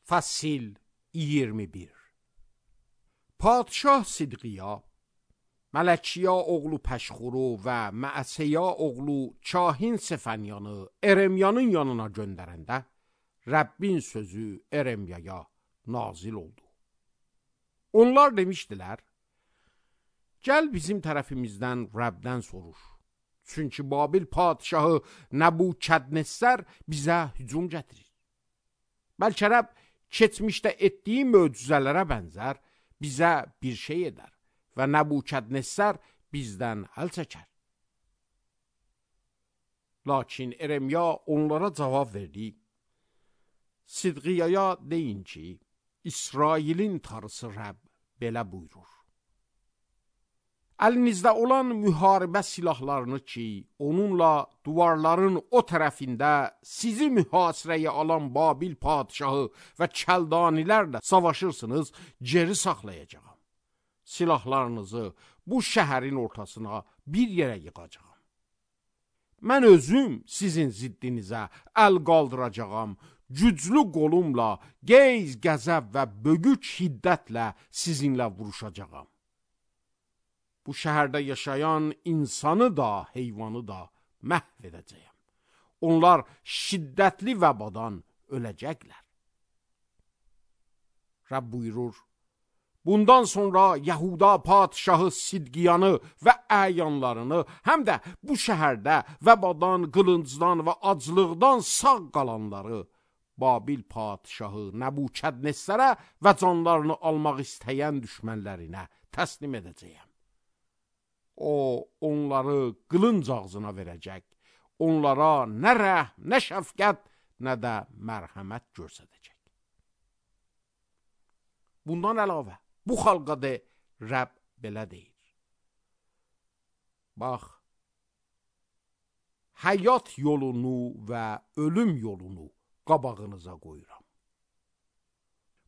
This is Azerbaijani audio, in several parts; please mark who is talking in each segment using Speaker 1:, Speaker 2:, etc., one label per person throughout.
Speaker 1: Fasil 21. Padşah Sidqiya, Mələkiya oğlu Pəşxuru və Məəsəya oğlu Kahin Sefənyanı Eremyanın yanına göndərəndə, Rəbbin sözü Eremyaya nazil oldu. Onlar demişdilər, gəl bizim tərəfimizdən Rəbdən soruş. Çünki Babil padşahı Nəbukədnəssər bizə hücum gətirir. Bəlkə Rəbb keçmişdə etdiyi möcüzələrə bənzər bizə bir şey edər və Nəbukədnəssər bizdən əl çəkər. Lakin Eremya onlara cavab verdi. Sidqiyaya deyin ki, İsrailin Tanrısı Rəbb belə buyurur. Əlinizdə olan müharibə silahlarını ki, onunla duvarların o tərəfində sizi mühasirəyə alan Babil padşahı və Kəldanilərlə savaşırsınız, geri saxlayacağam. Silahlarınızı bu şəhərin ortasına bir yerə yığacağam. Mən özüm sizin ziddinizə əl qaldıracağam, güclü qolumla, qeyz, qəzəb və bögük hiddətlə sizinlə vuruşacağam. Bu şəhərdə yaşayan insanı da, heyvanı da məhv edəcəyəm. Onlar şiddətli vəbadan öləcəklər. Rəbb buyurur, bundan sonra Yahuda padşahı Sidqiyanı və əyanlarını, həm də bu şəhərdə vəbadan, qılıncdan və aclıqdan sağ qalanları Babil padşahı Nəbukədnəssərə və canlarını almaq istəyən düşmənlərinə təslim edəcəyəm. O, onları qılınc ağzına verəcək, onlara nə rəhm, nə şəfqət, nə də mərhəmət göstərəcək. Bundan əlavə, bu xalqa de, Rəbb belə deyir. Bax, həyat yolunu və ölüm yolunu qabağınıza qoyuram.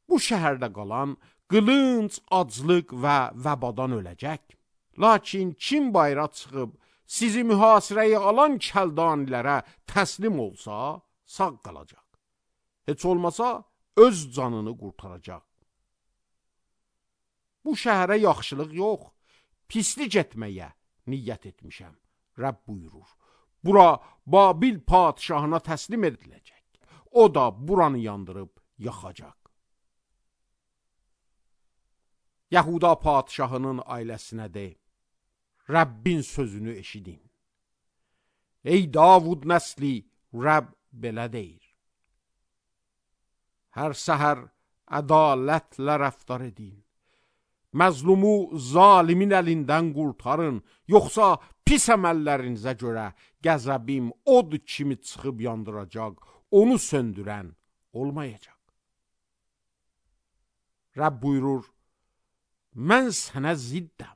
Speaker 1: Bu şəhərdə qalan qılınc, aclıq və vəbadan öləcək. Lakin kim bayra çıxıb sizi mühasirəyə alan Kəldanilərə təslim olsa, sağ qalacaq. Heç olmasa öz canını qurtaracaq. Bu şəhərə yaxşılıq yox, pislik etməyə niyyət etmişəm, Rəbb buyurur. Bura Babil padşahına təslim ediləcək. O da buranı yandırıb yaxacaq. Yahuda padşahının ailəsinə de, Rəbbin sözünü eşidin. Ey Davud nəsli, Rəbb belə deyir. Hər səhər ədalətlə rəftar edin. Məzlumu zalimin əlindən qurtarın, yoxsa pis əməllərinizə görə qəzəbim od kimi çıxıb yandıracaq, onu söndürən olmayacaq. Rəbb buyurur, mən sənə ziddəm.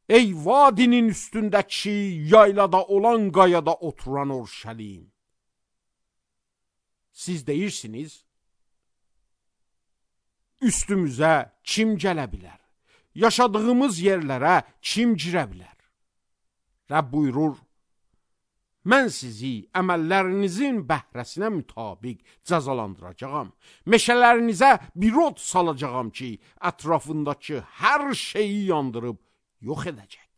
Speaker 1: Ey vadinin üstündəki, yaylada olan qayada oturan Orşəlim. Siz deyirsiniz, üstümüzə kim gələ bilər? Yaşadığımız yerlərə kim girə bilər? Rəbb buyurur, mən sizi əməllərinizin bəhrəsinə mütabiq cəzalandıracağam. Meşələrinizə bir od salacağam ki, ətrafındakı hər şeyi yandırıb yox edəcək.